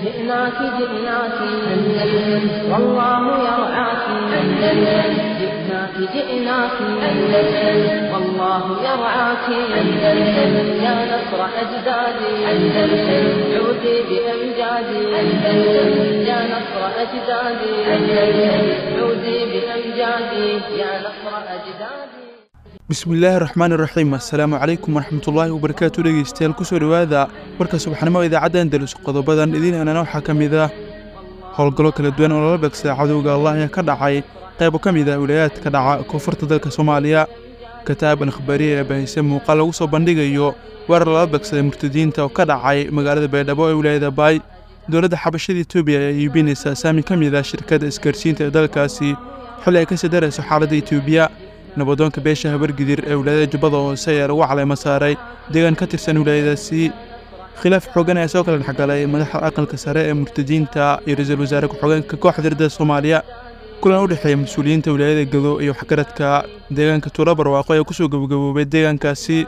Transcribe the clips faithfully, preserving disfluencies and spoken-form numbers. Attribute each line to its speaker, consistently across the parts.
Speaker 1: جئناك جئناك أندلس والله يرعاك أندلس جئناك جئناك أندلس والله يرعاك أندلس يا نصر أجدادي أندلس عودي بأمجادي أندلس يا نصر أجدادي أندلس عودي بأمجادي يا نصر أجدادي.
Speaker 2: Bismillaahi raxmaani raxiim. Assalaamu calaykum waraxmatullaahi wabarakaatu. Dhegeystayaal, kusoo dhowaada warka subaxnimo idaacadda Andalus. Qodobadan idiin hanana waxaa ka mid ah howlgallo kala duwan oo lala beegsaday cadowga Allah ayaa ka dhacay qaybo ka mid ah wilayaadka dhaca koonfurta dalka Soomaaliya. Kataab al-Akhbaariya ee baahisay muuqaal lagu soo bandhigayo weerar lala beegsaday murtadiinta oo ka dhacay magaalada Baydhabo ee wilaayada Baay. Dowladda xabashada Itoobiya ayaa iibinaysa saami ka mid ah shirkadda isgaarsiinta ee dalkaasi xilli ay kasii darayso xaaladda Itoobiya. Nabadoonka beesha Habargidir ee wilaayada Jubbada Hoose ayaa lagu caleemo saaray deegaan ka tirsan wilaayadaasi. Khilaaf xooggan ayaa soo kala dhexgalay madaxda aqalka sare ee murtadiinta iyo ra-iisul wasaare ku-xigeenka kooxda riddada Soomaaliya. Kulan u dhexeeya mas-uuliyiinta wilaayada Gado iyo waxgaradka deegaanka Tuulo Barwaaqo ayaa kusoo gabagaboobay deegaankaasi.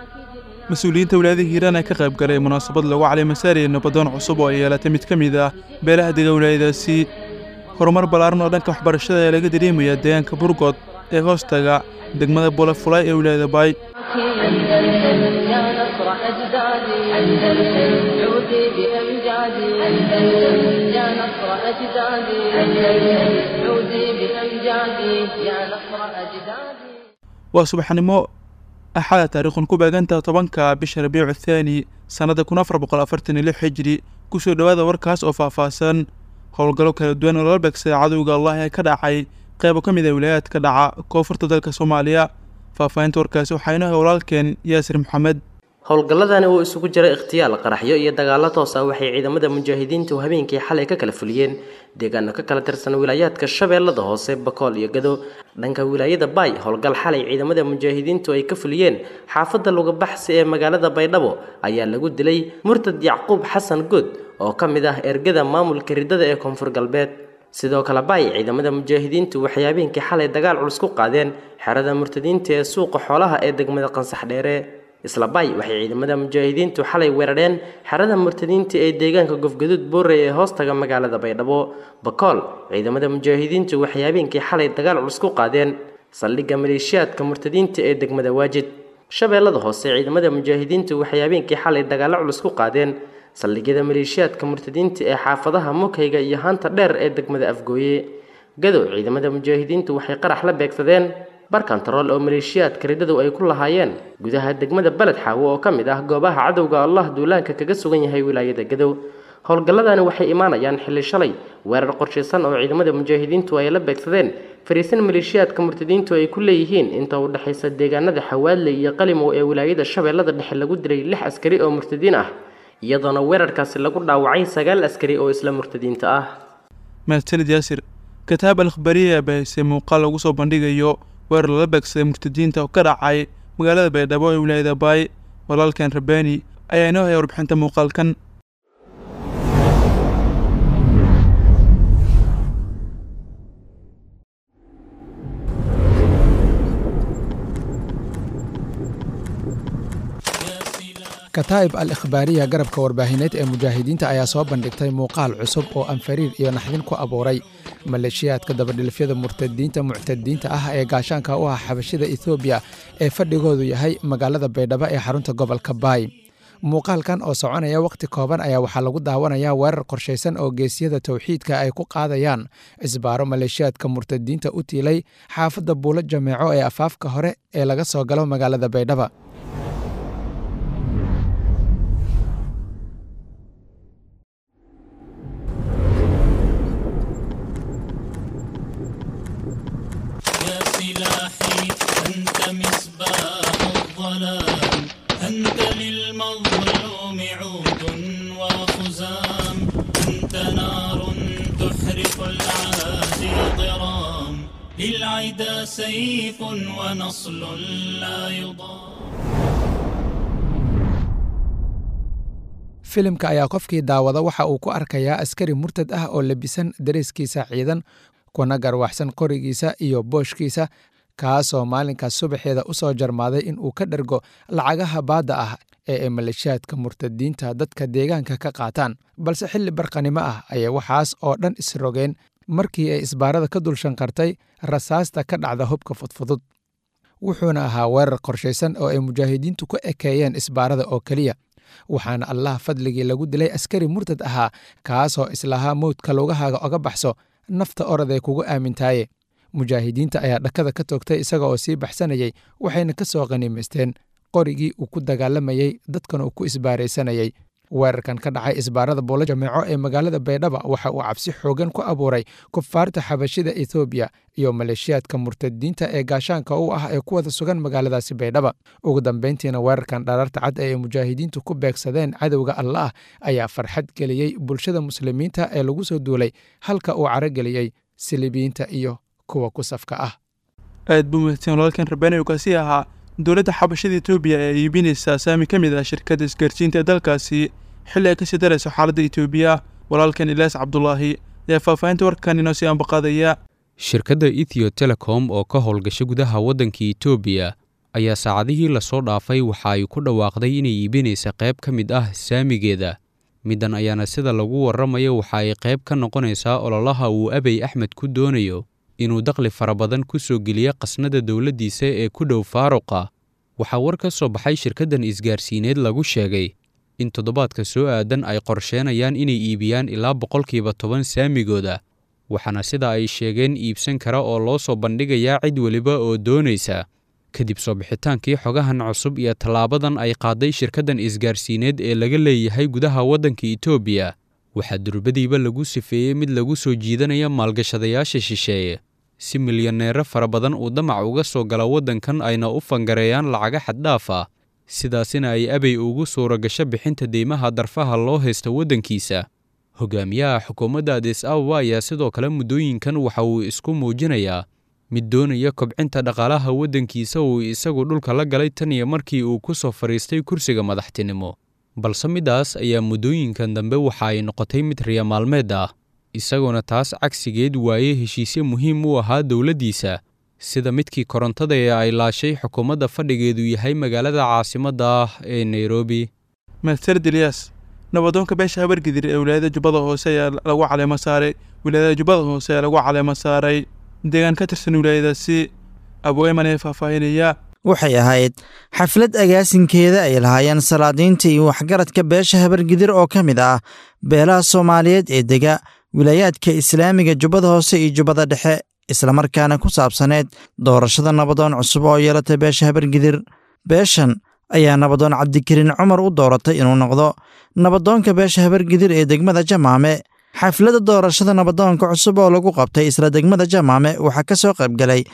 Speaker 2: Mas-uuliyiinta wilaayada Hiiraan ayaa ka qayb galay munaasabad lagu caleemo saarayay nabadoon cusub oo ay yeelatay mid ka mid ah beelaha dega wilaayadaasi. Horumar ballaaran oo dhanka waxbarashada ayaa laga dareemayaa deegaanka Burgod ee hoostaga degmada Bolafulay ee wilaayada Baay.
Speaker 1: أندلس يا نصر أجدادي أندلس عودي بأمجادي أندلس يا نصر أجدادي أندلس عودي بأمجادي يا نصر أجدادي.
Speaker 2: Waa subaxnimo Axada, taariikhun ku beegantaha tobanka bisha Rabiicu Thaani sannada kun afar boqol afartan iyo lix hijri. Kusoo dhowaada warkaas oo faahfaahsan. Howlgallo kala duwan oo lala beegsaday cadowga Allah ee ka dhacay qaybo ka mid ah wilayaadka dhaca koonfurta dalka Soomaaliya. Faahfaahinta warkaasi waxaa inoo hay walaalkeen Yaasir Maxamed.
Speaker 3: Howlgalladani oo isugu jira ikhtiyaal, qaraxyo iyo dagaallo toos ah waxay ciidamada mujaahidiintu habeenkii xalay ka kala fuliyeen deegaano ka kala tirsan wilaayaadka Shabeellada Hoose, Bakool iyo Gado. Dhanka wilaayada Baay, howlgal xalay ciidamada mujaahidiintu ay ka fuliyeen xaafadda Lugabaxsi ee magaalada Baydhabo ayaa lagu dilay murtad Yacquub Xasan Good oo ka mid ah ergada maamulka riddada ee Koonfur Galbeed. Sidoo kale Baay, ciidamada mujaahidiintu waxay habeenkii xalay dagaal culus ku qaadeen xerada murtadiinta ee suuqa xoolaha ee degmada Qansax Dheere. Isla Baay, waxay ciidamada mujaahidiintu xalay weerareen xerada murtadiinta ee deegaanka Gofgaduud Boorey ee hoostaga magaalada Baydhabo. Bakool, ciidamada mujaahidiintu waxay habeenkii xalay dagaal culus ku qaadeen saldhigga maleeshiyaadka murtadiinta ee degmada Waajid. Shabeellada Hoose, ciidamada mujaahidiintu waxay habeenkii xalay dagaalo culus ku qaadeen saldhigyada maleeshiyaadka murtadiinta ee xaafadaha Mukayga iyo Haanta Dheer ee degmada Afgooye. Gado, ciidamada mujaahidiintu waxay qarax la beegsadeen bar kantarool oo maleeshiyaadka riddadu ay ku lahaayeen gudaha degmada Baled Xaawo oo ka mid ah goobaha cadowga Allah duulaanka kaga sugan yahay wilaayada Gadow. Howlgalladani waxay imaanayaan xilli shalay weerar qorshaysan oo ciidamada mujaahidiintu ay la beegsadeen fariisin maleeshiyaadka murtadiintu ay ku leeyihiin inta u dhexaysa deegaanada Xawaadle iyo Qalimow ee wilaayada Shabeellada Dhexe lagu dilay lix askari oo murtadiin ah, iyadoona weerarkaasi lagu dhaawacay sagaal askari oo isla murtadiinta ah.
Speaker 2: Mahadsanid Yaasir. Kataab al-Akhbaariya ayaa baahisay muuqaal lagu soo bandhigayo weerar lala beegsaday murtadiinta oo ka dhacay magaalada Baydhabo ee wilaayada Baay. Walaalkan Rabbaani ayaa inoo haya warbixinta muuqaalkan.
Speaker 4: Kataa'ib al Ikhbaariya, garabka warbaahineed ee mujaahidiinta, ayaa soo bandhigtay muuqaal cusub oo anfariir iyo naxdin ku abuuray maleeshiyaadka dabadhilifyada murtadiinta muctadiinta ah ee gaashaanka u ah xabashida Ethoobiya ee fadhigoodu yahay magaalada Baydhabo ee xarunta gobolka Baay. Muuqaalkan oo soconaya wakhti kooban ayaa waxaa lagu daawanayaa weerar qorshaysan oo geesiyada towxiidka ay ku qaadayaan isbaaro maleeshiyaadka murtadiinta u tiilay xaafadda Buulo Jameeco ee afaafka hore ee laga soo galo magaalada Baydhaba.
Speaker 5: يا سلاحي أنت مصباح الظلام، أنت للمظلوم عود وخزام، أنت نار تحرق العادي ضرام، للعدا سيف ونصل لا يضام.
Speaker 4: Filimka ayaa qofkii daawada waxa uu ku arkayaa askari murtad ah oo labisan dareeskiisa ciidan, kuna garwaxsan qorigiisa iyo booshkiisa, kaasoo maalinkaas subaxeeda u soo jarmaaday in uu ka dhergo lacagaha baadda ah ee ay maleeshiyaadka murtadiinta dadka deegaanka ka qaataan, balse xilli barqanimo ah ayay waxaas oo dhan isrogeen markii ay isbaarada ka dul shanqartay rasaasta ka dhacda hubka fudfudud. Wuxuuna ahaa weerar qorshaysan oo ay mujaahidiintu ku ekeeyeen isbaarada oo keliya, waxaana Allah fadligii lagu dilay askari murtad ahaa kaasoo islahaa mowdka lugahaaga oga baxso, nafta oraday kugu aamintaaye. Mujaahidiinta ayaa dhakada ka toogtay isaga oo sii baxsanayay, waxayna ka soo qaniimaysteen qorigii uu ku dagaalamayey dadkana uu ku isbaaraysanayay. Weerarkan ka dhacay isbaarada Buulo Jameeco ee magaalada Baydhaba waxa uu cabsi xoogan ku abuuray kufaarta xabashida Ethoobiya iyo maleeshiyaadka murtadiinta ee gaashaanka u ah ee ku wada sugan magaaladaasi Baydhaba. Ugu dambeyntiina weerarkan dharaarta cad ee ay mujaahidiintu ku beegsadeen cadowga Allaah ayaa farxad geliyey bulshada muslimiinta ee lagu soo duulay, halka uu carageliyey silibiyiinta iyo kuwa ku safka ah.
Speaker 2: Aad buu mahadsan walaalkan Rabbaani kaasi ahaa. Dowladda xabashada Etoobiya ayaa iibinaysaa saami ka mid ah shirkadda isgaarsiinta ee dalkaasi xilli ay kasii darayso xaaladda Etoobiya. Walaalkan Ilaas Cabdulaahi ayaa faahfaahinta warkan inoo sii ambaqaadaya.
Speaker 6: Shirkadda Ethio Telecom oo ka howlgasha gudaha waddanka Etoobiya ayaa saacadihii lasoo dhaafay waxa ay ku dhawaaqday inay iibinaysa qayb ka mid ah saamigeeda. Middan ayaana sida lagu warramayo waxa ay qayb ka noqonaysaa ololaha uu Abiy Axmed ku doonayo inuu dakhli fara badan ku soo geliyo qasnada dowladdiisa ee ku dhow faaruqa. Waxaa war ka soo baxay shirkaddan isgaarsiineed lagu sheegay in toddobaadka soo aadan ay qorsheenayaan inay iibiyaan ilaa boqolkiiba toban saamigooda, waxaana sida ay sheegeen iibsan kara oo loo soo bandhigayaa cid weliba oo doonaysa. Kadib soo bixitaankii xogahan cusub iyo tallaabadan ay qaaday shirkaddan isgaarsiineed ee laga leeyahay gudaha waddanka Etoobiya, waxaa durbadiiba lagu sifeeyey mid lagu soo jiidanaya maalgashadayaasha shisheeye si milyaneero fara badan uu damac uga soo gala waddankan ayna u fangareeyaan lacaga xaddhaaf ah, sidaasina ay Abiy ugu suura gasho bixinta deymaha darfaha loo haysta waddankiisa. Hogaamiyaha xukuumadda Addis Ababa ayaa sidoo kale muddooyinkan waxa uu isku muujinayaa mid doonaya kobcinta dhaqaalaha waddankiisa uu isagu dhulka la galay tan iyo markii uu ku soo fadhiistay kursiga madaxtinimo. Balse middaas ayaa muddooyinkan dambe waxa ay noqotay mid riya maalmeed ah, isagoona taas cagsigeed waayey heshiisyo muhiim u ahaa dowladdiisa, sida midkii korontada ee ay laashay xukuumadda fadhigeedu yahay magaalada caasimadda ah ee Nairobi.
Speaker 2: Mahadsanid Ilyas. Nabadoonka beesha Habargidir ee wilaayada Jubbada Hoose ayaa lagu caleemo saaray wilaayada Jubbada Hoose ayaa lagu caleemo saaray deegaan ka tirsan wilaayadaasi. Abu Ayman ayaa faahfaahinaya.
Speaker 7: Waxay ahayd xaflad agaasinkeeda ay lahaayeen salaadiinta iyo waxgaradka beesha Habargidir oo ka mid ah beelaha Soomaaliyeed ee dega wilaayaadka Islaamiga Jubbada Hoose iyo Jubbada Dhexe, islamarkaana ku saabsaneed doorashada nabadoon cusub oo yeelatay beesha Habargidir. Beeshan ayaa nabadoon Cabdikariin Cumar u dooratay inuu noqdo nabadoonka beesha Habargidir ee degmada Jamaame. Xafladda doorashada nabadoonka cusub oo lagu qabtay isla degmada Jamaame waxaa ka soo qaybgalay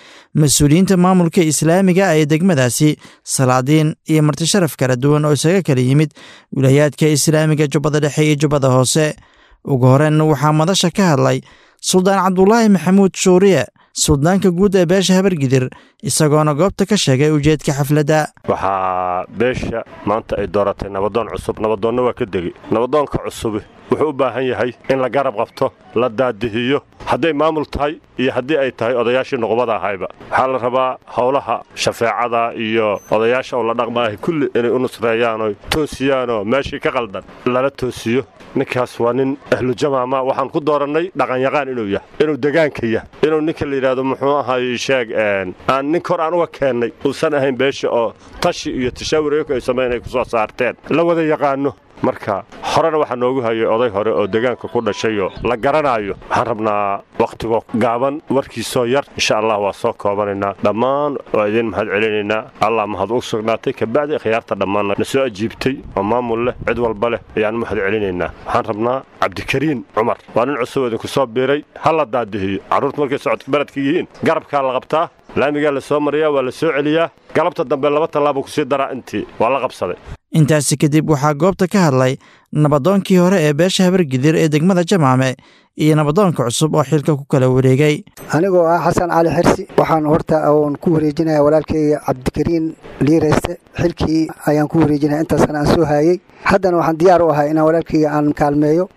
Speaker 7: mas-uuliyiinta maamulka islaamiga ee degmadaasi, salaadiin iyo martisharaf kala duwan oo isaga kala yimid wilaayaadka islaamiga Jubbada Dhexe iyo Jubbada Hoose. Ugu horreyn waxaa madasha ka hadlay Suldaan Cabdulaahi Maxamuud Shuuriye, suldaanka guud ee beesha Habargidir, isagoona goobta ka sheegay ujeedka xafladda.
Speaker 8: Waxaa beesha maanta ay dooratay nabadoon cusub. Nabadoonna waa ka degey. Nabadoonka cusubi wuxuu u baahan yahay in la garab qabto, la daadihiyo, hadday maamul tahay iyo haddii ay tahay odayaashii nuqbada ahayba. Waxaa la rabaa howlaha shafeecada iyo odayaasha oo la dhaqmaahay kulli inay u nusreeyaanoo toosiyaanoo meeshii ka qaldan lala toosiyo. Ninkaas waa nin ahlujamaama. Waxaan ku doorannay dhaqanyaqaan inuu yahay, inuu degaanka yahay, inuu ninka la yidhaahdo muxuu ahay sheeg aan nin kor aan uga keennay uusan ahayn beesha oo tashi iyo tashaawur iyagu ay samayn ay ku soo saarteen la wada yaqaano. Marka horena waxaa noogu hayay oday hore oo deegaanka ku dhashayoo la garanaayo. Waxaan rabnaa wakhtigoo gaaban warkiisoo yar insha allah waa soo koobanaynaa dhammaan, waa idiin mahad celinaynaa. Allah mahad u sugnaatay, kabacdi khiyaarta dhammaanna na soo ajiibtay oo maamul leh cid walba leh ayaan mahad celinaynaa. Waxaan rabnaa Cabdikariin Cumar waa nin cusub oo idinku soo biiray, ha la daadihiyo. Carruurta markay socodka baradka yihiin garabkaa la qabtaa, laamigaa la soo mariyaa, waa la soo celiyaa, galabta dambe laba tallaabo kusii daraa intii waa la qabsaday.
Speaker 7: Intaasi kadib waxaa goobta ka hadlay nabadoonkii hore ee beesha Habargidir ee degmada Jamaame iyo nabadoonka cusub oo xilka ku kala wareegay.
Speaker 9: Anigoo ah Xasan Cali Xirsi, waxaan horta oon ku wareejinayaa walaalkayga Cabdikariin Liirayste. Xilkii ayaan ku wareejinaya, intaasna aan soo haayey. Haddana waxaan diyaar u ahay inaan walaalkayga aan kaalmeeyo,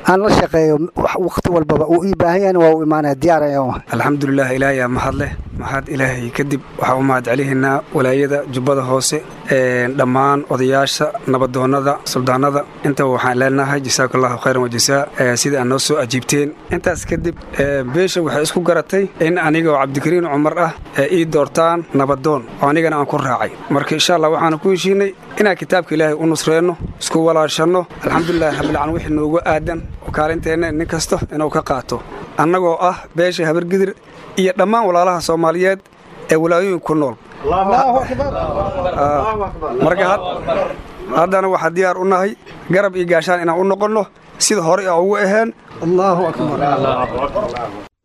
Speaker 9: aan la shaqeeyo wakhti walbaba uu ii baahan yahayna waa u imaanaya, diyaar ayaan u ahay.
Speaker 10: Alxamdulilah, ilaahay aa mahad leh. Mahad Ilaahay kadib, waxaa u mahad celihaynaa walaayada Jubbada Hoose, dhammaan odayaasha, nabadoonnada, suldaanada. Intaba waxaan leenahay jasaakallahu khayran wajasaa sida aad noo soo ajiibteen. Intaas kadib, beesha waxay isku garatay in aniga oo Cabdikariin Cumar ah ii doortaan nabadoon, oo anigana aan ku raacay. Marka insha Allah waxaanu ku heshiinay inaan kitaabka Ilaahay u nusreenno, isku walaashanno. Alxamdulillahi rabbil, wixii noogu aadan oo kaalinteenna nin kasta inuu ka qaato, annagoo ah beesha Habargidir iyo dhammaan walaalaha Soomaaliyeed ee walaayooyin ku nool. Marka haddana waxaa diyaar u nahay garab iyo gaashaan inaan u noqonno sida horey a ugu aheen.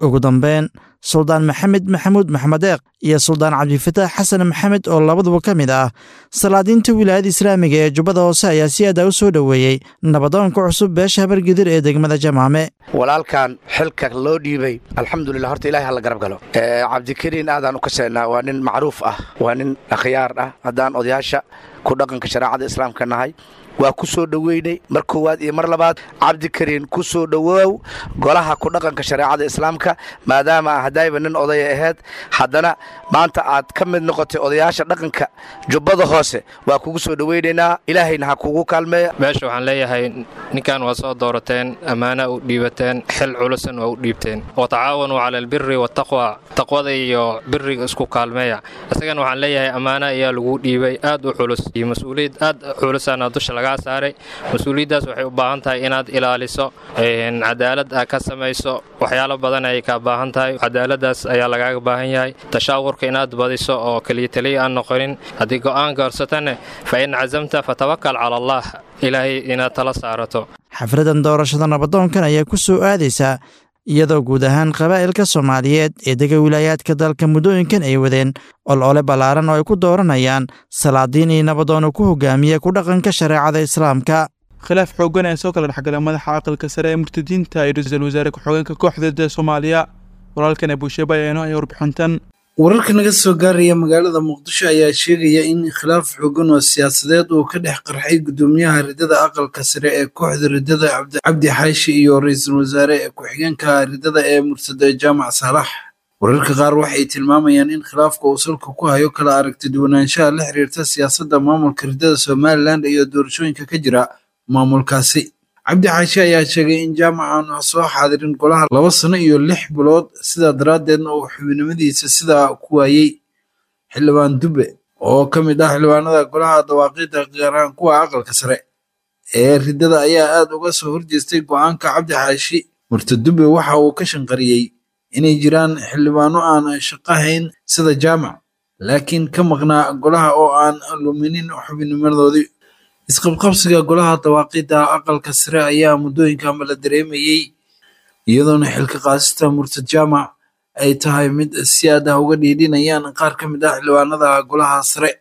Speaker 7: Ugu dambeyn, Suldaan Maxamed Maxamuud Maxmed Eeq iyo Suldaan Cabdifataax Xasan Maxamed oo labaduba ka mid ah salaadiinta wilaayada islaamiga ee Jubbada Hoose ayaa si aada u soo dhoweeyey nabadoonka cusub beesha Habargidir ee degmada Jamaame.
Speaker 11: Walaalkan xilka loo dhiibay, alxamdulilah, horta Ilahay hala garab galo. Cabdikariin aadaan u kaseynaa, waa nin macruuf ah, waa nin akhyaar ah. Haddaan odayaasha ku dhaqanka shareecada islaamka nahay, waa ku soo dhoweynay mar koowaad iyo mar labaad. Cabdikariin, ku soo dhowoow golaha ku dhaqanka shareecada islaamka. Maadaama haddayba nin odaya ahayd, haddana maanta aad ka mid noqotay odayaasha dhaqanka Jubbada Hoose, waa kugu soo dhoweynaynaa. Ilaahayna ha kugu kaalmeeya.
Speaker 12: Meesha waxaan leeyahay, ninkan waa soo doorateen, ammaana u dhiibateen, xil culusan waa u dhiibteen. Watacaawanuu cala albiri waataqwa, taqwada iyo biriga isku kaalmeeya. Isagana waxaan leeyahay, ammaana ayaa lagu dhiibay aad u culus iyo mas-uuliyad aad culusana dusha lagaa saaray. Mas-uuliyaddaas waxay u baahan tahay inaad ilaaliso, cadaalad aad ka samayso. Waxyaalo badan ayay kaa baahan tahay. Cadaaladdaas ayaa lagaaga baahan yahay, tashaawurka inaad badiso oo keliya taliya aan noqonin. Haddii go'aan goorsatane, fa in cazamta fatawakal cala Allah, Ilaahay inaad tala saarato.
Speaker 7: Xafladan doorashada nabadoonkan ayaa ku soo aadaysa iyadoo guud ahaan qabaa'ilka Soomaaliyeed ee dega wilaayaadka dalka muddooyinkan ay wadeen olole ballaaran oo ay ku dooranayaan salaadiin iyo nabadoon ku hogaamiya ku dhaqanka shareecada islaamka.
Speaker 2: Khilaaf xooggan ayaa soo kala dhexgalay madaxa aqalka sare ee murtadiinta iyo ra-iisul wasaare ku-xigeenka kooxda Soomaaliya. Walaalkan Abuusheeba ayaa inoo haya warbixintan.
Speaker 13: Wararka naga soo gaaraya magaalada Muqdisho ayaa sheegaya in khilaaf xooggan oo siyaasadeed uu ka dhex qarxay gudoomiyaha ridada aqalka sare ee kooxda ridada Cabdi Xaashi iyo ra-iisul wasaare ku-xigeenka ridada ee mursada Jaamac Saalax. Wararka qaar waxay tilmaamayaan in khilaafka uu salka ku hayo kala aragti duwanaanshaha la xiriirta siyaasadda maamulka ridada Somaliland iyo doorashooyinka ka jira maamulkaasi. Cabdi Xaashi ayaa sheegay in Jaamac aanu soo xaadirin golaha laba sano iyo lix bilood, sidaa daraaddeedna uu xubinimadiisa sidaa ku waayey. Xildhibaan Dube oo ka mid ah xildhibaanada golaha dawaaqiidda, gaar ahaan kuwa aqalka sare ee ridada, ayaa aad uga soo horjeestay go'aanka Cabdi Xaashi. Murtad Dube waxa uu ka shanqariyey inay jiraan xildhibaano aan shaqo hayn sida Jaamac, laakiin ka maqnaa golaha oo aan luminin xubinimadoodii. Isqabqabsiga golaha dawaaqiidda aqalka sare ayaa muddooyinkanba la dareemayey, iyadoona xilka qaasista murtad Jaamac ay tahay mid si aad ah uga dhiidhinayaan qaar ka mid ah xildhibaanada golaha sare.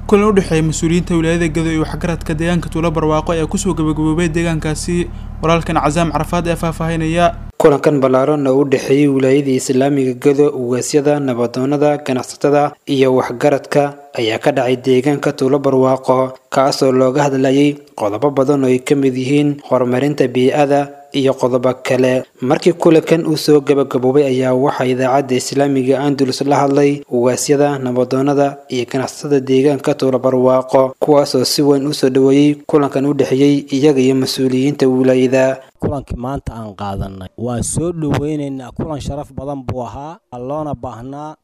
Speaker 2: Kulan u dhexeeya mas-uuliyiinta wilaayada Gado iyo waxgaradka deegaanka Tuulo Barwaaqo ayaa kusoo gabagaboobay deegaankaasi. Walaalkan Casaam Carafaad ee faahfaahinaya.
Speaker 14: Kulankan ballaaran oo u dhexeeyey wilaayada islaamiga Gado, ugaasyada, nabadoonada, ganacsatada iyo waxgaradka ayaa ka dhacay deegaanka Tuulo Barwaaqo, kaasoo looga hadlayay qodobo badan oo ay ka mid yihiin horumarinta bii'ada iyo qodobo kale. Markii kulankan uu soo gabagaboobay ayaa waxaa idaacadda islaamiga Andalus la hadlay ugaasyada, nabadoonada iyo ganacsatada deegaanka Tuulo Barwaaqo, kuwaasoo si weyn usoo dhoweeyey kulankan u dhexeeyey iyaga iyo mas-uuliyiinta wilaayada.
Speaker 15: Kulankii maanta aan qaadanay waa soo dhoweynaynaa. Kulan sharaf badan buu ahaa, loona baahnaa,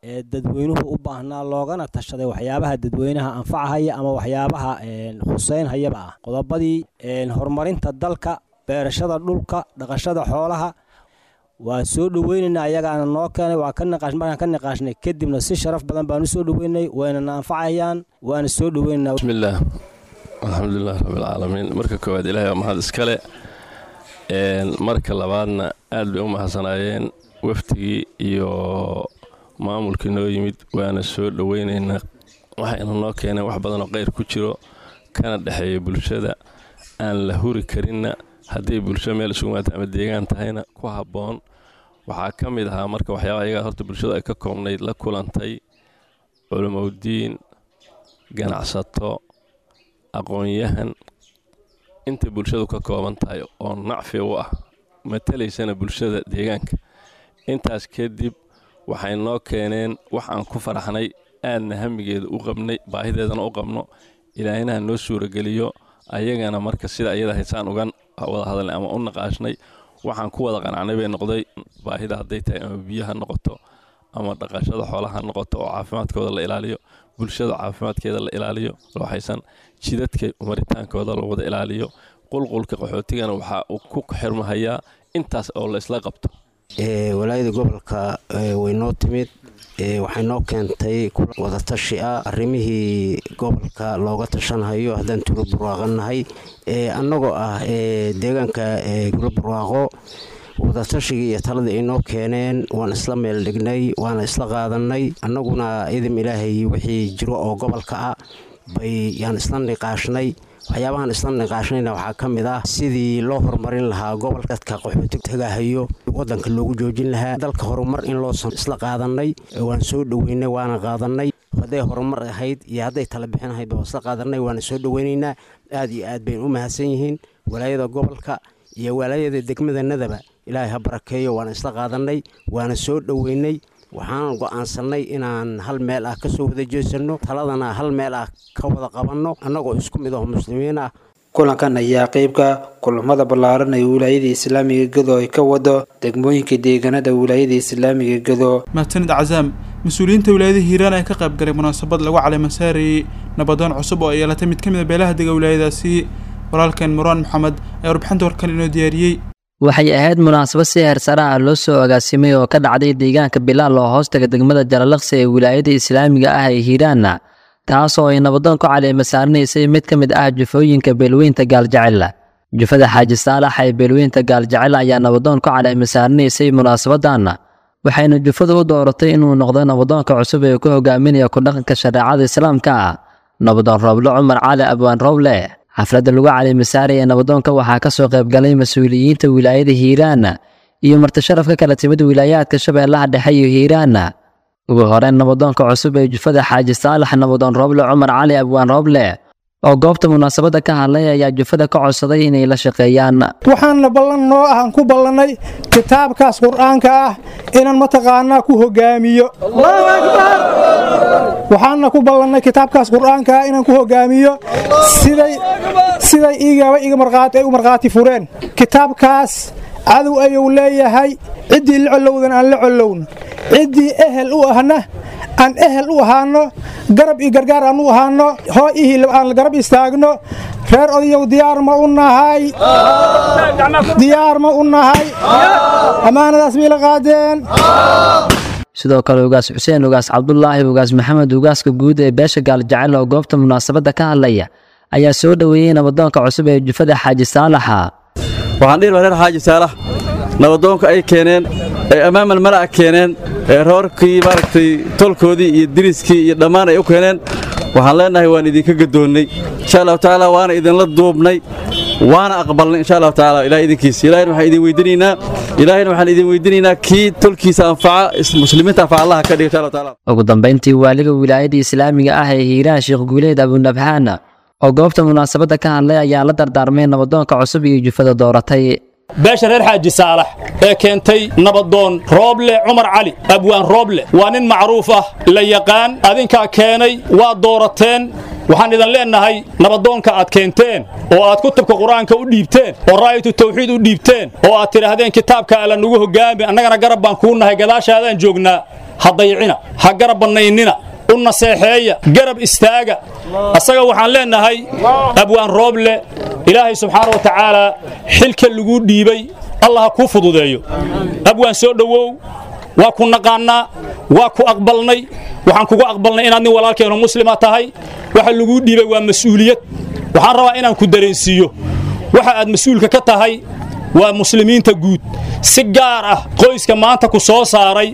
Speaker 15: ee dadweynuhu u baahnaa, loogana tashaday waxyaabaha dadweynaha anfacahaya ama waxyaabaha khuseynhayaba ah, qodobadii horumarinta dalka, beerashada dhulka, dhaqashada xoolaha. Waa soo dhoweynaynaa. Ayagaana noo keenay, waa ka niqaash. Markaan ka niqaashnay kadibna si sharaf badan baan u soo dhoweynay, waynana anfacayaan, waana soo dhoweynaynaa.
Speaker 16: Bismillaah, alxamdulilah rabbilcaalamiin. Marka koowaad Ilahay waa mahad iskale. Marka labaadna aad bay u mahadsanaayeen wafdigii iyo maamulkii noo yimid, waana soo dhoweynaynaa. Waxayna noo keeneen wax badanoo qeyr ku jiro kana dhexeeya bulshada, aan la huri karinna hadday bulsho meel isugu maata ama deegaan tahayna ku habboon. Waxaa ka mid ahaa marka waxyaabaha iyagaa horta bulshadu ay ka koobnayd la kulantay culimowdiin, ganacsato, aqoon-yahan, inta bulshadu ka kooban tahay oo nacfi u ah, matalaysana bulshada deegaanka. Intaas kadib Waxay noo keeneen wax aan ku faraxnay, aadna hamigeeda u qabnay, baahideedana u qabno. Ilaahinaha noo suurageliyo. Ayagana marka sida ayada haysaan uga wada hadalnay ama u naqaashnay, waxaan ku wada qanacnay bay noqday. Baahida hadday tahay ama biyo ha noqoto ama dhaqashada xoolaha ha noqoto oo caafimaadkooda la ilaaliyo, bulshada caafimaadkeeda la ilaaliyo, waxaysan jidadka maritaankooda la wada ilaaliyo. Qulqulka qaxootigana waxaa uu ku xirmahayaa intaas oo la isla qabto.
Speaker 17: Walaayada gobolka way noo timid, waxay noo keentay wadatashi ah arrimihii gobolka looga tashanhayo. Haddaan tuulo barwaaqo nahay, annagoo ah deegaanka tuulo barwaaqo, wadatashigai iyo taladii ay noo keeneen waan isla meel dhignay, waana isla qaadanay. Annaguna idim Ilaahay wixii jiro oo gobolka ah bay yaan isla niqaashnay. Waxyaabahan isla niqaashnayna waxaa ka mid ah sidii loo horumarin lahaa gobolka, dadka qaxooti tagahayo wadanka loogu joojin lahaa, dalka horumar in loo isla qaadanay. Waan soo dhoweynay, waana qaadanay. Hadday horumar ahayd iyo hadday tala bixin ahayd baa isla qaadanay, waana soo dhoweynaynaa. Aad iyo aad baynu u mahadsan yihiin walaayada gobolka iyo walaayada degmadanadaba. Ilaahay ha barakeeyo. Waana isla qaadanay, waana soo dhoweynay. Waxaan go'aansannay inaan hal meel ah ka soo wada jeesanno, taladana hal meel ah ka wada qabanno, annagoo isku mid ah muslimiin ah.
Speaker 14: Kulankan ayaa qeybka kulamada ballaaran ee wilaayada islaamiga Gado ay ka wado degmooyinka deegaanada wilaayada islaamiga Gado.
Speaker 2: Mahadsanid Cazaam. Mas-uuliyiinta wilaayada Hiiraan ayaa ka qayb galay munaasabad lagu caleemasaarayey nabadoon cusub oo ay yeelatay mid ka mid a beelaha dega wilaayadaasi. Walaalkeen Muraan Maxamed ayaa warbixinta warkan inoo diyaariyey.
Speaker 18: Waxay ahayd munaasabad si heersare ah loo soo agaasimay oo ka dhacday deegaanka Bilaal oo hoostaga degmada Jalalaqsi ee wilaayada islaamiga ah ee Hiiraanna, taasoo ay nabadoon ku caleema saaranaysay mid ka mid ah jufooyinka beelweynta Gaaljecel. Jufada Xaaji Saalax ee beelweynta Gaaljecel ayaa nabadoon ku caleema saaranaysay munaasabadan, waxayna jufadu u dooratay inuu noqdo nabadoonka cusub ee ku hogaaminaya ku dhaqanka shareecada islaamka ah, nabadoon Rooble Cumar Cali Abwaan Rooble. Xafladda lagu caleemasaaraya nabadoonka waxaa ka soo qaybgalay mas-uuliyiinta wilaayada Hiiraan iyo marti sharaf ka kala timid wilaayaadka Shabeellaha Dhexe iyo Hiiraan. Ugu horeyn, nabadoonka cusub ee jufada Xaaji Saalax, nabadoon Rooble Cumar Cali Abwaan Rooble, oo goobta munaasabadda ka hadlay ayaa jufada ka codsaday inay la shaqeeyaan.
Speaker 19: Waxaana ballan noo ah aan ku ballannay kitaabkaas Qur-aanka ah inaan mataqaanaa ku hogaamiyo. Waxaana ku ballannay kitaabkaas Qur-aanka ah inaan ku hogaamiyo siday siday igaba iga markhaati ay u markhaati fureen. Kitaabkaas cadow ayuu leeyahay, ciddii la collowdan aan la collowno, ciddii ehel u ahna aan ehel u ahaano, garab iyo gargaar aan u ahaano, hoo ihii aan garab istaagno. Reer odayow, diyaar ma u nahay? Diyaar ma u nahay? Ammaanadaas miila qaadeen?
Speaker 18: Sidoo kale, Ugaas Xuseen Ugaas Cabdulaahi Ugaas Maxamed, ugaaska guud ee beesha Gaaljecel, oo goobta munaasabadda ka hadlaya ayaa soo dhoweeyey nabadoonka cusub ee jufada Xaaji Saalaxa.
Speaker 20: Waxaan dhihi lahaa reer Xaaji Saalax, nabadoonka ay keeneen ee amaamal mala'a keeneen ee roorkii maaragtay tolkoodii iyo diriskii iyo dhammaan ay u keeneen, waxaan leenahay waan idinka gadoonnay insha Allahu tacaala, waana idinla duubnay, waana aqbalnay insha Allahu tacaala. Ilahay idinkiisa, ilahayna waxaan idin weydiinaynaa ilaahayna waxaan idin weydiinaynaa kii tolkiisa anfaca, muslimiinta anfaca Allaha ka dhiga insha Allahu tacaala.
Speaker 18: Ugu dambeyntii, waaliga wilaayada islaamiga ah ee Hiiraan, Sheekh Guuleed Abunabxaan, oo goobta munaasabadda ka hadlay ayaa la dardaarmay nabadoonka cusub iyo jufada dooratay.
Speaker 21: Beesha reer Xaaji Saalax ee keentay nabadoon Rooble Cumar Cali Abwaan Rooble waa nin macruuf ah, la yaqaan. Adinkaa keenay, waa doorateen. Waxaan idin leenahay nabadoonka aad keenteen oo aad kutubka Qur-aanka u dhiibteen oo raayatu tawxiid u dhiibteen oo aad tidhaahdeen kitaabka Alla nugu hogaami, annagana garab baan kuu nahay, gadaashaadaan joognaa, ha dayicina, ha garab bannaynina, u naseexeeya, garab istaaga asaga. Waxaan leenahay Abwaan Rooble, Ilaahay subxaana wa tacaala xilka laguu dhiibay Allah ha kuu fududeeyo. Abwaan, soo dhowow. Waa ku naqaannaa, waa ku aqbalnay. Waxaan kugu aqbalnay inaad nin walaalkeeno muslima tahay. Waxa laguu dhiibay waa mas-uuliyad. Waxaan rabaa inaan ku dareensiiyo waxa aad mas-uulka ka tahay waa muslimiinta guud, si gaar ah qoyska maanta ku soo saaray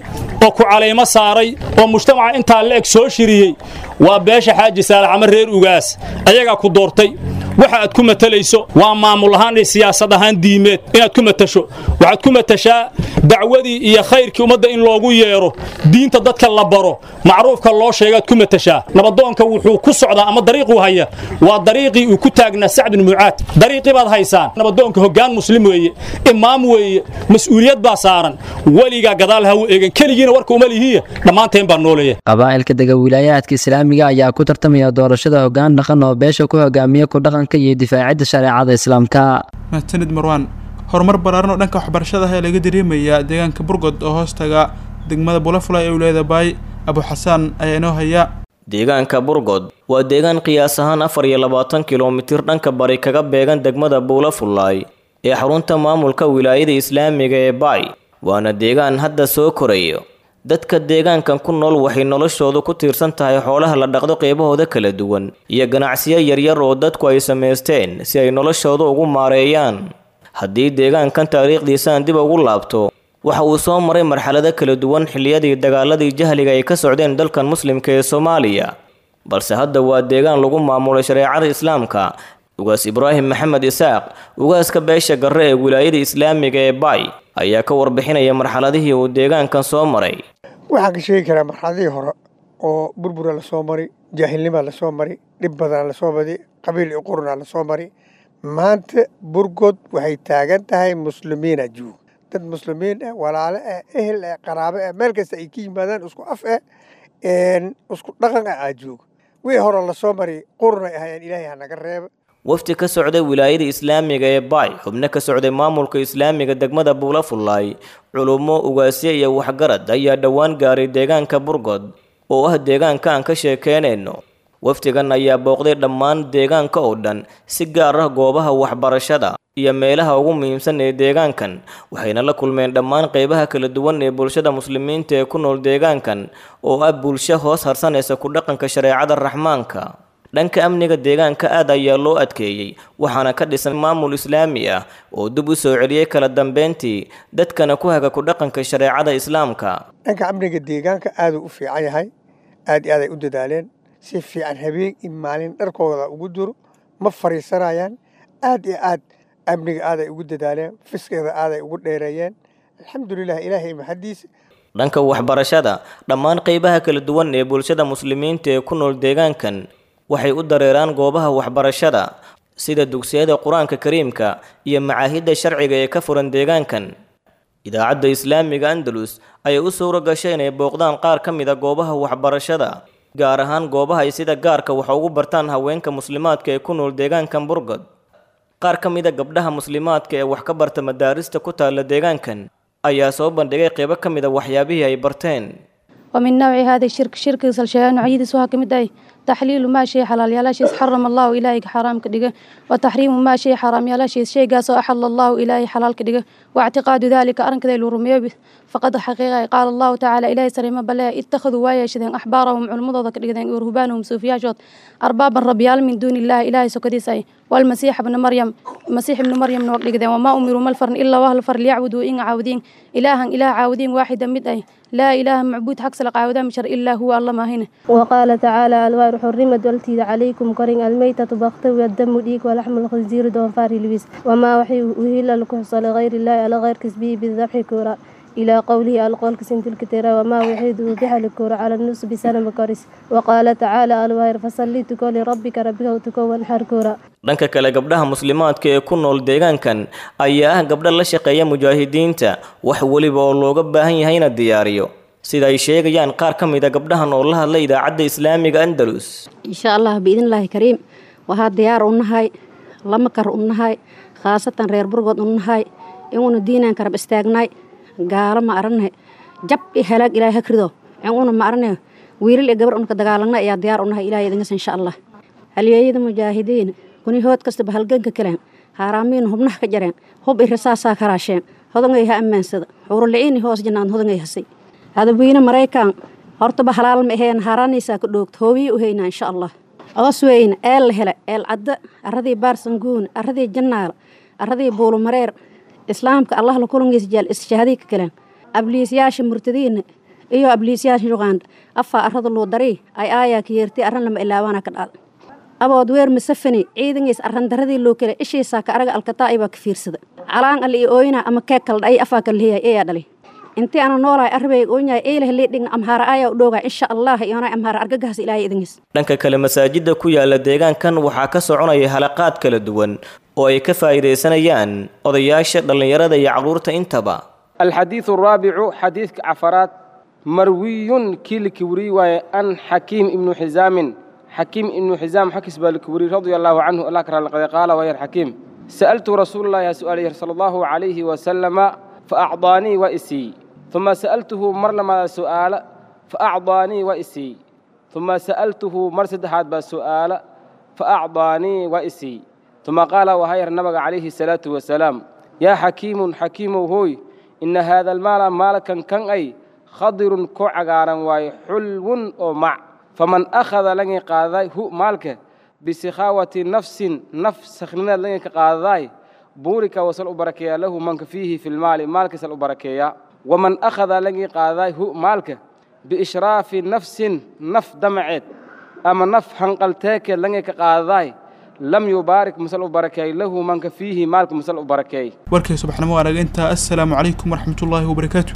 Speaker 21: oo ku calaymo saaray oo mujtamaca intaa la eg soo shiriyey waa beesha Xaaji Saalax ama reer Ugaas. Ayagaa ku doortay. Waxa aad ku matalayso waa maamul ahaan iyo siyaasad ahaan diimeed inaad ku matasho. Waxaad ku matashaa Dacwadii iyo khayrkii ummadda in loogu yeero, diinta dadka la baro, macruufka loo sheegaad ku matashaa. Nabadoonka wuxuu ku socdaa ama dariiquu haya waa dariiqii uu ku taagnaa Sacd bin Mucaad. Dariiqii baad haysaan. Nabadoonka hoggaan muslim weeye, imaam weeye, mas'uuliyad baa saaran. Weligaa gadaal ha u eegan, keligiina warka uma lihiya, dhammaanteen baa nooleeya.
Speaker 18: Qabaa'ilka dega wilaayaadka islaamiga ayaa ku tartamaya doorashada hoggaan dhaqan oo beesha ku hogaamiya ku dhaqanka iyo difaacidda shareecada islaamka.
Speaker 2: Mahadsanid Marwaan. Horumar ballaaran oo dhanka waxbarashada ah ayaa laga dareemayaa deegaanka Burgod oo hoostaga degmada Bulafulay ee wilaayada Baay. Abu Xasaan ayaa inoo haya.
Speaker 1: Deegaanka Burgod waa deegaan qiyaas ahaan afar iyo labaatan kilomitir dhanka bari kaga beegan degmada Buulafulay ee xarunta maamulka wilaayada islaamiga ee Baay, waana deegaan hadda soo korayo. Dadka deegaankan ku nool waxay noloshoodu ku tiirsan tahay xoolaha la dhaqdo qeybahooda kala duwan iyo ganacsiyo yaryar oo dadku ay samaysteen si ay noloshooda ugu maareeyaan. Haddii deegaankan taariikhdiisaan dib ugu laabto, waxa uu soo maray marxalado kala duwan xilliyadii dagaaladii jahliga ay ka socdeen dalkan muslimka ee Soomaaliya, balse hadda waa deegaan lagu maamulay shareecada islaamka. Ugaas Ibraahim Maxamed Isaaq, ugaaska beesha Garre ee wilaayada islaamiga ee Baay, ayaa ka warbixinaya marxaladihii uu deegaankan soo maray.
Speaker 22: Waxaan ka sheegi karaa marxaladihii hore oo burbura lasoo maray, jaahilnima lasoo maray, dhib badan lasoo maray, qabiil iyo quruna lasoo maray. Maanta Burgod waxay taagan tahay muslimiina joog, dad muslimiin ah, walaalo ah, ehel ah, qaraabo ah, meel kasta ay ka yimaadaan, isku af ah, isku dhaqan ah aa joog. Wixii hore lasoo maray qurunay ahayeen, Ilaahay ha naga reeba.
Speaker 1: Wafdi ka socday wilaayada islaamiga ee Baay, xubno ka socday maamulka islaamiga degmada Buulafulay, culummo, ugaasyo iyo waxgarad ayaa dhowaan gaaray deegaanka Burgod oo ah deegaanka aan ka sheekeynayno. Wafdigan ayaa booqday dhammaan deegaanka oo dhan, si gaar ah goobaha waxbarashada iyo meelaha ugu muhiimsan ee deegaankan, waxayna la kulmeen dhammaan qeybaha kala duwan ee bulshada muslimiinta ee ku nool deegaankan oo ah bulsho hoos harsanaysa ku dhaqanka shareecada Raxmaanka. Dhanka amniga deegaanka aad ayaa loo adkeeyey, waxaana ka dhisan maamul islaami ah oo dib u soo celiyey kala dambeyntii, dadkana ku haga ku dhaqanka shareecada islaamka.
Speaker 22: Dhanka amniga deegaanka aaduu u fiican yahay, aad iyo aad ay u dadaaleen, si fiican habeen iyo maalin dharkooda ugu duro, ma fariisanayaan. Aad iyo aad amniga aaday ugu dadaaleen, fiskeeda aaday ugu dheereeyeen, alxamdulilah, Ilaahay maxadiisa.
Speaker 1: Dhanka waxbarashada, dhammaan qeybaha kala duwan ee bulshada muslimiinta ee ku nool deegaankan waxay u dareeraan goobaha waxbarashada sida dugsiyada Qur-aanka Kariimka iyo macaahidda sharciga ee ka furan deegaankan. Idaacadda islaamiga Andalus ayay u suura gashay inay booqdaan qaar ka mid a goobaha waxbarashada, gaar ahaan goobaha ay sida gaarka wax ugu bartaan haweenka muslimaadka ee ku nool deegaankan Burgod. Qaar ka mid a gabdhaha muslimaadka ee wax ka barta madaarista ku taalla deegaankan ayaa soo bandhigay qeybo ka mid a waxyaabihii ay barteen.
Speaker 23: ومن نوع هذا الشرك شرك سلشيان نوعيديس waxaa kamid ah تحليل ما شيء حلال يالاشيس حرم الله إلهي حرام كدغه، وتحريم ما شيء حرام يالاشيس شيءgaas oo أحل الله إلهي حلال كدغه، واعتقاد ذلك أرنكدا لو rumeeyo. فقد حقيقة قال الله تعالى إلهي سريما بلا اتخذوا وايشدين أحبارهم علمدooda كدغدeen ورهبانهم suufiyaashood أربابا ربيال من دون الله إلهي sokadiisay، والمسيح ابن مريم مسيح ابن مريم نوق dhigdeen. وما أمروا ما الفرن إلا وهل فر ليعبدوا إن عاودين إلها إله عاودين واحدا mid ay لا إله معبود حق سلق عاودان مشر إلا هو الله ما هنا.
Speaker 24: وقال تعالى الوار حرمت والتيد عليكم كرين الميتة بخت والدم ديك ولحم الخنزير دونفار لبس وما وحي وهل الكحص لغير الله على غير كسبه بالذبح كورا إلى قوله القول كسنت الكتيرة وما وحيد وبح الكورة على النص بسنة كرس. وقال تعالى الوار فصلي تكو لربك ربك وتكون حركورا.
Speaker 1: Dhanka kale, gabdhaha muslimaadka ee ku nool deegaankan ayaa ah gabdho la shaqeeya mujaahidiinta, wax weliba oo looga baahan yahay ina diyaariyo, sida ay sheegayaan qaar ka mid a gabdhahan oo la hadlay idaacadda islaamiga Andalus.
Speaker 25: Insha Allah biidnillaahi kariim, waxaa diyaar u nahay, lama kar u nahay, khaasatan reer Burgod u nahay, inuuna diinaan karab istaagnay, gaalo ma arane, jab i halaag Ilaahay ha krido, inuuna ma arane, wiilal iyo gabar unka dagaalanna ayaa diyaar u nahay Ilaahay idinkas insha Allah. Halyeeyada mujaahidiin kuni hood kastaba halganka kaleen, haaraamiin hubnaha ka jareen, hub i rasaasaa karaasheen, hodangay ha ammaansada, xuuruliciini hoos jannaan hodangay hasay. Hadawiine Maraykan hortaba halaal ma aheen, haaraanaysaa ku dhoogto, hoobiyi u haynaa insha Allah. Coos weyne eel la hele, eel cadda, arradii Baarsanguun, arradii Jannaal, arradii Buulumareer, islaamka Allah la kulangiisa jeel isshahadii ka kaleen. Abliisyaasha murtadiina iyo abliisyaasha Uganda afaa arrada loo daray ay aayaa ka yeertay arran lama ilaawaana ka dhacda. Abood weer masafani ciidangiis arran daradii loo kale ishiisaa ka araga alkataa baa ka fiirsada. Calaan alle iyo ooyina ama keeg kala dhacay afaa kala leeyahay ayaa dhalay. Intii ana noolahay arbeyga oonyahay eelaha leedhigna amhaara ayaa u dhoogaa insha Allah iyona amhaara argagahaas Ilaahay idinkiis.
Speaker 1: Dhanka kale, masaajidda ku yaala deegaankan waxaa ka soconaya halaqaad kala duwan oo ay ka faa'iidaysanayaan odayaasha, dhallinyarada iyo carruurta intaba.
Speaker 3: الحديث الرابع حديث عفرات مروي كيل كوري أن حكيم ابن حزام حكيم ابن حزام حكس بالكوري رضي الله عنه الله كرم قال ويا حكيم سألت رسول الله سؤاله صلى الله عليه وسلم فأعطاني وإسي ثم سألته مرلما سؤال فأعطاني وإسي ثم سألته مرسد هذا بسؤال فأعطاني وإسي ثم قال وهير النبي عليه الصلاة والسلام يا حكيم حكيم هوي إن هذا المال مالكا كان أي خضر كعغارا واي حلو أو مع فمن أخذ لن قاضي هو مالك بسخاوة نفس نفس سخننا لن قاضي بورك وصل أبركيا له من فيه في المال مالك سل أبركيا ومن أخذ لن قاضي هو مالك بإشراف نفس نف دمعت أما نف هنقلتك لن قاضي لم يبارك مسل أبركي له من فيه مالك مسل أبركي.
Speaker 2: Warkay subaxnimo arag intaa. Assalaamu calaykum waraxmatullaahi wabarakaatu.